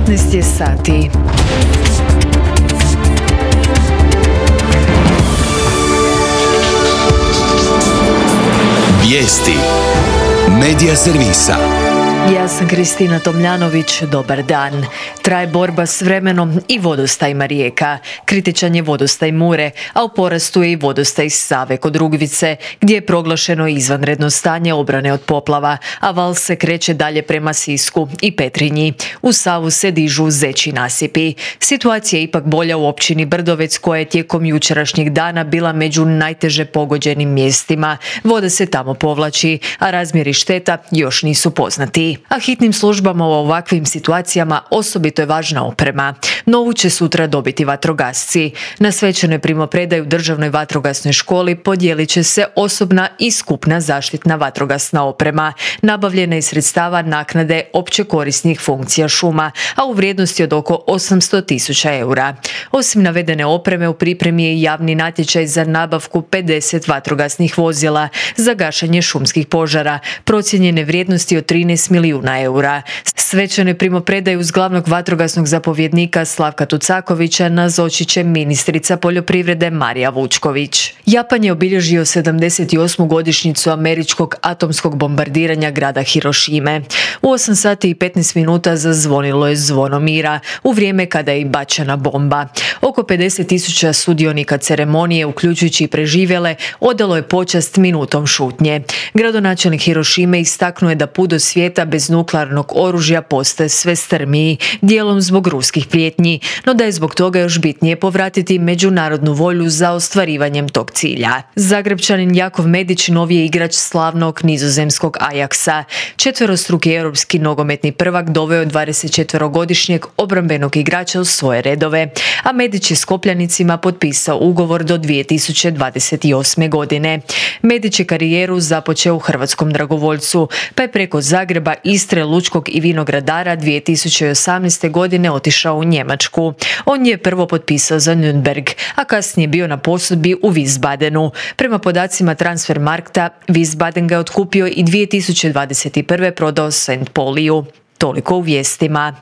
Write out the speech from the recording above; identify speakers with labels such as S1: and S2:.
S1: 15 je sati.
S2: Vijesti Medija servisa.
S1: Ja sam Kristina Tomljanović, dobar dan. Traje borba s vremenom i vodostajima rijeka. Kritičan je vodostaj Mure, a u porastu je i vodostaj Save kod Rugvice, gdje je proglašeno izvanredno stanje obrane od poplava, a val se kreće dalje prema Sisku i Petrinji. U Savu se dižu zeći nasipi. Situacija je ipak bolja u općini Brdovec, koja je tijekom jučerašnjeg dana bila među najteže pogođenim mjestima. Voda se tamo povlači, a razmjeri šteta još nisu poznati. A hitnim službama u ovakvim situacijama osobito je važna oprema. Novu će sutra dobiti vatrogasci. Na svečanoj primopredaju Državnoj vatrogasnoj školi podijelit će se osobna i skupna zaštitna vatrogasna oprema, nabavljena iz sredstava naknade opće korisnih funkcija šuma, a u vrijednosti od oko 800.000 eura. Osim navedene opreme, u pripremi je javni natječaj za nabavku 50 vatrogasnih vozila za gašenje šumskih požara, procijenjene vrijednosti od 13 milijuna eura. Svečanoj primopredaju uz glavnog vatrogasnog zapovjednika Slavka Tucakovića nazočit će ministrica poljoprivrede Marija Vučković. Japan je obilježio 78. godišnjicu američkog atomskog bombardiranja grada Hirošime. U 8 sati i 15 minuta zazvonilo je zvono mira, u vrijeme kada je i bačena bomba. Oko 50.000 sudionika ceremonije, uključujući i preživjele, odalo je počast minutom šutnje. Gradonačelnik Hirošime istaknuo je da put do svijeta bez nuklearnog oružja postaje sve strmiji, dijelom zbog ruskih prijetnji, no da je zbog toga još bitnije povratiti međunarodnu volju za ostvarivanjem tog cilja. Zagrebčanin Jakov Medić novi je igrač slavnog nizozemskog Ajaxa. Četverostruki europski nogometni prvak doveo 24-godišnjeg obrambenog igrača u svoje redove, a Medić je s Kopljanicima potpisao ugovor do 2028. godine. Medić je karijeru započeo u hrvatskom dragovoljcu, pa je preko Zagreba, Istre, Lučkog i Vinogradara 2018. godine otišao u Njemačku. On je prvo potpisao za Nürnberg, a kasnije bio na posudbi u Wiesbadenu. Prema podacima Transfermarkta, Wiesbaden ga je otkupio i 2021. prodao St. Pauliju. Toliko u vijestima.